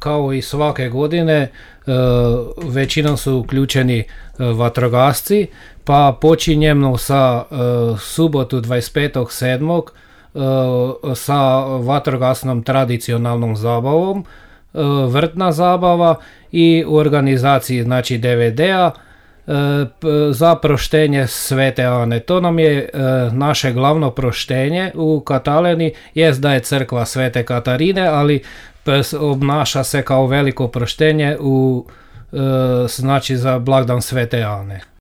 kao i svake godine, većinom su uključeni vatrogasci, pa počinjemo sa subotu 25.7. Sa vatrogasnom tradicionalnom zabavom, vrtna zabava i u organizaciji znači DVD-a za proštenje Svete Ane. To nam je naše glavno proštenje u Kataleni, jest da je crkva Svete Katarine, ali obnaša se kao veliko proštenje znači za blagdan Svete Ane.